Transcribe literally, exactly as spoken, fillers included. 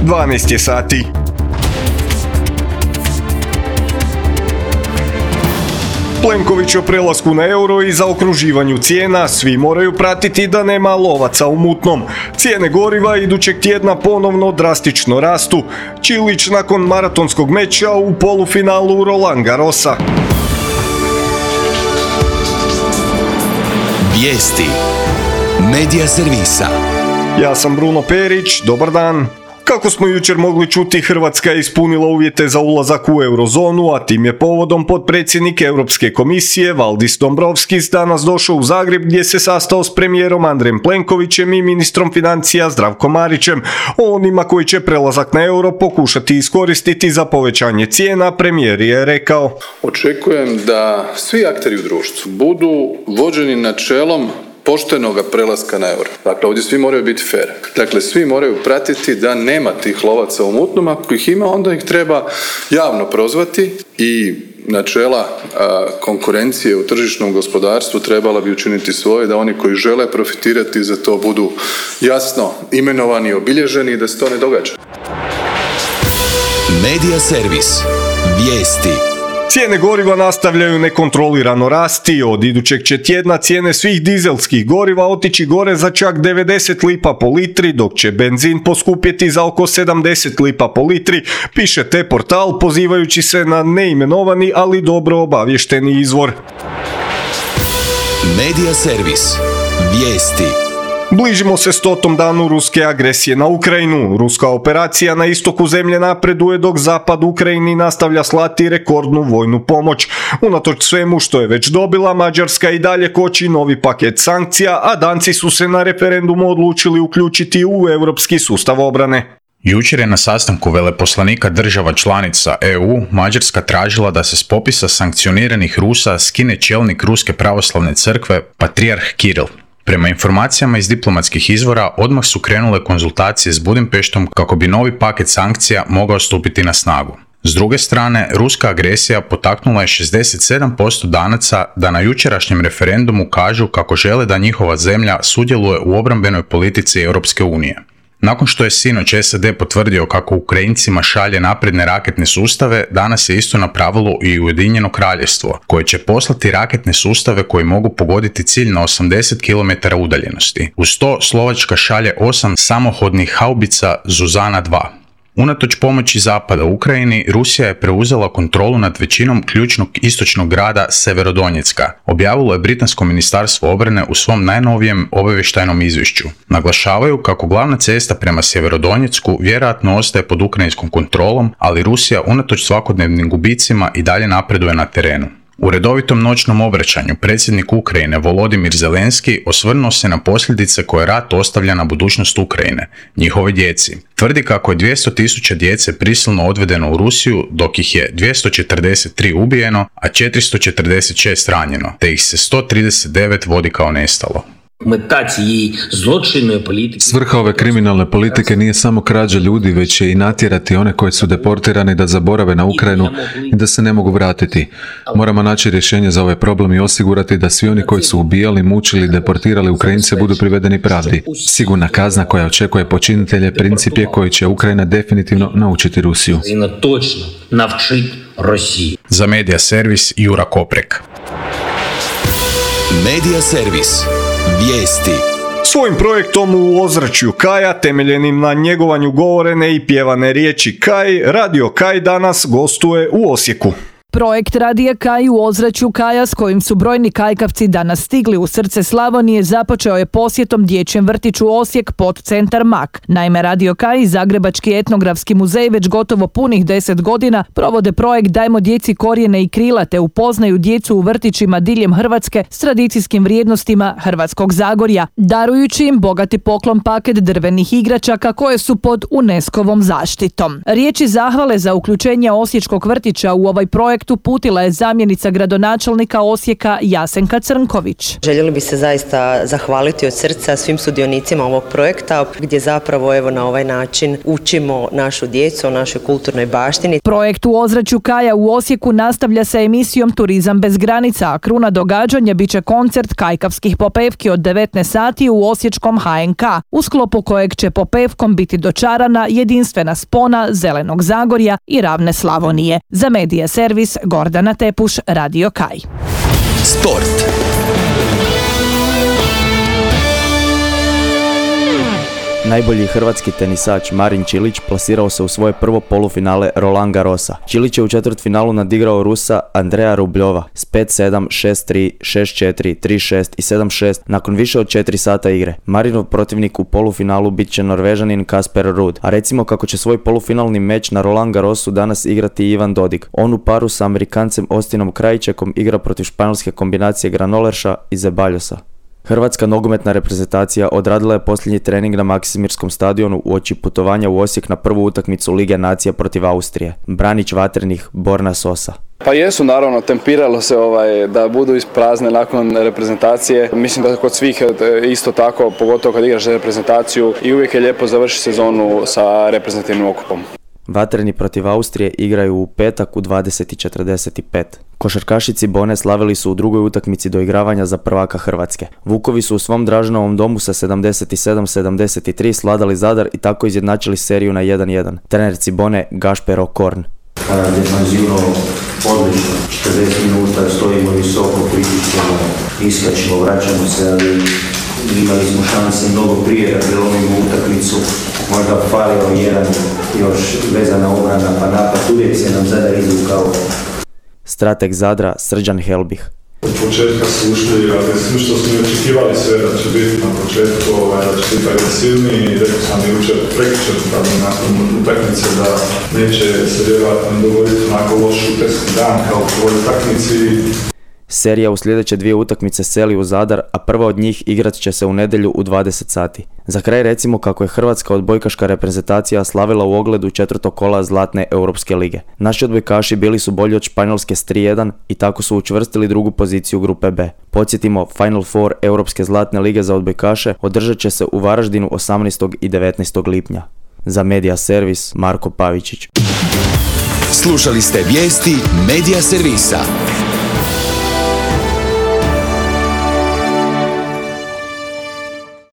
dvanaest je sati. Plenković o prelasku na euro i zaokruživanju cijena, svi moraju pratiti da nema lovaca u mutnom. Cijene goriva idućeg tjedna ponovno drastično rastu. Čilić nakon maratonskog meča u polufinalu Roland Garrosa. Vijesti Medija servisa. Ja sam Bruno Perić, dobar dan. Kako smo jučer mogli čuti, Hrvatska je ispunila uvjete za ulazak u eurozonu, a tim je povodom potpredsjednik Europske komisije Valdis Dombrovskis danas došao u Zagreb gdje se sastao s premijerom Andrejem Plenkovićem i ministrom financija Zdravkom Marićem. O onima koji će prelazak na euro pokušati iskoristiti za povećanje cijena, premijer je rekao: Očekujem da svi akteri u društvu budu vođeni načelom poštenoga prelaska na euro. Dakle, ovdje svi moraju biti fair. Dakle, svi moraju pratiti da nema tih lovaca u mutnom. Ako ih ima, onda ih treba javno prozvati i načela a, konkurencije u tržišnom gospodarstvu trebala bi učiniti svoje, da oni koji žele profitirati za to budu jasno imenovani i obilježeni i da se to ne događa. Medija servis. Vijesti. Cijene goriva nastavljaju nekontrolirano rasti. Od idućeg će tjedna cijene svih dizelskih goriva otići gore za čak devedeset lipa po litri, dok će benzin poskupjeti za oko sedamdeset lipa po litri, piše T-Portal pozivajući se na neimenovani, ali dobro obavješteni izvor. Medija servis. Vijesti. Bližimo se stotom danu ruske agresije na Ukrajinu. Ruska operacija na istoku zemlje napreduje dok zapad Ukrajini nastavlja slati rekordnu vojnu pomoć. Unatoč svemu što je već dobila, Mađarska i dalje koči novi paket sankcija, a Danci su se na referendumu odlučili uključiti u europski sustav obrane. Jučer je na sastanku veleposlanika država članica E U Mađarska tražila da se s popisa sankcioniranih Rusa skine čelnik Ruske pravoslavne crkve, patrijarh Kiril. Prema informacijama iz diplomatskih izvora, odmah su krenule konzultacije s Budimpeštom kako bi novi paket sankcija mogao stupiti na snagu. S druge strane, ruska agresija potaknula je šezdeset sedam posto Danaca da na jučerašnjem referendumu kažu kako žele da njihova zemlja sudjeluje u obrambenoj politici Europske unije. Nakon što je sinoć S A D potvrdio kako Ukrajincima šalje napredne raketne sustave, danas je isto napravilo i Ujedinjeno Kraljevstvo, koje će poslati raketne sustave koji mogu pogoditi cilj na osamdeset kilometara udaljenosti. Uz to Slovačka šalje osam samohodnih haubica Zuzana dva. Unatoč pomoći Zapada Ukrajini, Rusija je preuzela kontrolu nad većinom ključnog istočnog grada Severodonjecka, objavilo je Britansko ministarstvo obrane u svom najnovijem obavještajnom izvješću. Naglašavaju kako glavna cesta prema Sjeverodonjecku vjerojatno ostaje pod ukrajinskom kontrolom, ali Rusija unatoč svakodnevnim gubicima i dalje napreduje na terenu. U redovitom noćnom obraćanju predsjednik Ukrajine Volodimir Zelenski osvrnuo se na posljedice koje rat ostavlja na budućnost Ukrajine, njihovoj djeci. Tvrdi kako je dvjesto tisuća djece prisilno odvedeno u Rusiju, dok ih je dvjesto četrdeset tri ubijeno, a četiristo četrdeset šest ranjeno, te ih se sto trideset devet vodi kao nestalo. Svrha ove kriminalne politike nije samo krađa ljudi, već je i natjerati one koji su deportirani da zaborave na Ukrajinu i da se ne mogu vratiti. Moramo naći rješenje za ovaj problem i osigurati da svi oni koji su ubijali, mučili i deportirali Ukrajince budu privedeni pravdi. Sigurna kazna koja očekuje počinitelje princip je koji će Ukrajina definitivno naučiti Rusiju. Za Medija servis Jura Koprek. Medija servis. Vijesti. Svojim projektom u ozračju Kaja, temeljenim na njegovanju govorene i pjevane riječi Kaj, Radio Kaj danas gostuje u Osijeku. Projekt Radija Kaj u ozračju Kaja, s kojim su brojni kajkavci danas stigli u srce Slavonije, započeo je posjetom dječjem vrtiću Osijek pod centar Mak. Naime, Radio Kaj i Zagrebački etnografski muzej već gotovo punih deset godina provode projekt Dajmo djeci korijene i krila te upoznaju djecu u vrtićima diljem Hrvatske s tradicijskim vrijednostima Hrvatskog Zagorja, darujući im bogati poklon paket drvenih igračaka koje su pod UNESCO-vom zaštitom. Riječi zahvale za uključenje osječkog vrtića u ovaj projekt projekt uputila je zamjenica gradonačelnika Osijeka Jasenka Crnković. Željeli bi se zaista zahvaliti od srca svim sudionicima ovog projekta gdje zapravo evo na ovaj način učimo našu djecu o našoj kulturnoj baštini. Projekt U ozračju kaja u Osijeku nastavlja sa emisijom Turizam bez granica, a kruna događanja bit će koncert kajkavskih popevki od devetnaest sati u osječkom H N K, u sklopu kojeg će popevkom biti dočarana jedinstvena spona Zelenog Zagorja i ravne Slavonije. Za Medija servis Gordana Tepuš, Radio Kaj. Sport. Najbolji hrvatski tenisač Marin Čilić plasirao se u svoje prvo polufinale Roland Garrosa. Čilić je u četvrtfinalu nadigrao Rusa Andreja Rubljova s pet sedam, šest tri, šest četiri, tri šest i sedam šest nakon više od četiri sata igre. Marinov protivnik u polufinalu bit će Norvežanin Kasper Ruud, a recimo kako će svoj polufinalni meč na Roland Garrosu danas igrati Ivan Dodig. On u paru sa Amerikancem Austinom Krajičekom igra protiv španjolske kombinacije Granolerša i Zebaljosa. Hrvatska nogometna reprezentacija odradila je posljednji trening na Maksimirskom stadionu uoči putovanja u Osijek na prvu utakmicu Lige nacija protiv Austrije. Branić vatrenih Borna Sosa. Pa jesu, naravno, tempiralo se ovaj, da budu isprazne nakon reprezentacije. Mislim da kod svih isto tako, pogotovo kad igraš reprezentaciju, i uvijek je lijepo završiti sezonu sa reprezentativnim okupom. Vatreni protiv Austrije igraju u petak u dvadeset i četrdeset pet. Košarkaši Cibone slavili su u drugoj utakmici doigravanja za prvaka Hrvatske. Vukovi su u svom Draženovom domu sa sedamdeset sedam sedamdeset tri sladali Zadar i tako izjednačili seriju na jedan jedan. Trener Cibone Gašper Okorn. Defanzivno odlično, četrdeset minuta stojimo visoko, pritišćemo, iskačemo, vraćamo se, ali imali smo šanse mnogo prije da prelomimo utakmicu. Možda falio jedan još vezana obrana pa napad, uvijek se nam Zadar izvukao. Strateg Zadra Srđan Helbih. Od početka su ušli, ali što smo očekivali sve da će biti na početku, da će biti agresivniji i rekao sam i učer prekričer nakon utakmice da neće se vjerojatno dogoditi onako loš šuterski dan kao u ovoj utakmici. Serija u sljedeće dvije utakmice seli u Zadar, a prva od njih igrat će se u nedjelju u dvadeset sati. Za kraj recimo kako je hrvatska odbojkaška reprezentacija slavila u ogledu četvrtog kola Zlatne Europske lige. Naši odbojkaši bili su bolji od Španjolske s tri jedan i tako su učvrstili drugu poziciju grupe B. Podsjetimo, Final Four Europske Zlatne lige za odbojkaše održat će se u Varaždinu osamnaestog i devetnaestog lipnja. Za Medija servis Marko Pavičić. Slušali ste vijesti Medija servisa.